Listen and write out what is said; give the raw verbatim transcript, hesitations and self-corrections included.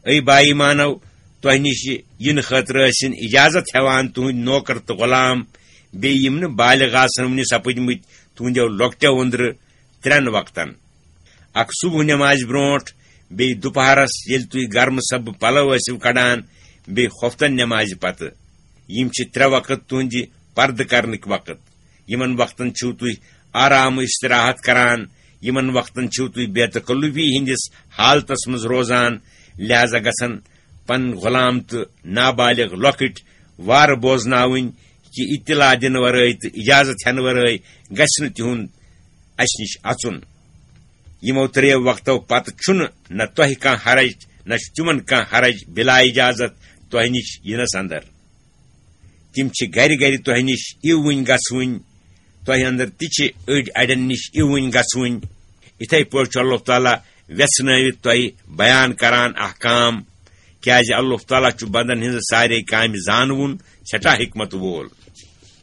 A با ایمانو، تۄہہِ نِش یِنہٕ خٲطرٕ ٲسِن اجازت ہٮ۪وان تُہٕنٛدۍ نوکر تہٕ غلام، بیٚیہِ یِم نہٕ بالغ آسن وُنہِ سپٕدمٕتۍ تُہٕنٛدیو لۄکٹیو أنٛدرٕ ترٛٮ۪ن وقتن، اکھ صبح نٮ۪مازِ برونٛٹھ، بیٚیہِ دُپہرس ییٚلہِ تُہۍ گرمہٕ سبہٕ پلو ٲسِو کڑان، بیٚیہِ خۄفتن نٮ۪مازِ پتہٕ۔ یِم چھِ ترٛےٚ وقت تُہٕنٛدِ پردٕ کرنٕکۍ وقت۔ یِمن وقتن چھِو تُہۍ آرام و استراحت کران، یِمن وقتن چھِو تُہۍ بے تکلفی ہٕنٛدِس حالتس منٛز روزان، لہذا گژھن پنٕنۍ غلام تہٕ نابالغ لۄکٕٹۍ وارٕ بوزناوٕنۍ کہِ اطلاع دِنہٕ ورٲے تہٕ اجازت ہٮ۪نہٕ ورٲے گژھِ نہٕ تِہُنٛد اسہِ نِش اژُن۔ یِمو ترٛیٚیو وقتو پتہٕ چھُنہٕ نہ تۄہہِ کانٛہہ حرج، نہ چھُ تِمن کانٛہہ حرج بلا اجازت تۄہہِ نِش یِنس اندر۔ تِم چھِ گرِ گرِ تۄہہِ نِش اِوٕنۍ گژھوٕنۍ، تۄہہِ اندر تہِ چھِ أڑۍ اڑٮ۪ن نِش اِوٕنۍ گژھوٕنۍ۔ یِتھے پٲٹھۍ چھُ اللہ تعالیٰ وٮ۪ژھنٲوِتھ تۄہہِ بیان کران احکام، کیازِ اللہ تعالیٰ چھُ بندن ہٕنٛزٕ سارے کامہِ زانوُن، سٮ۪ٹھاہ حکمت وول۔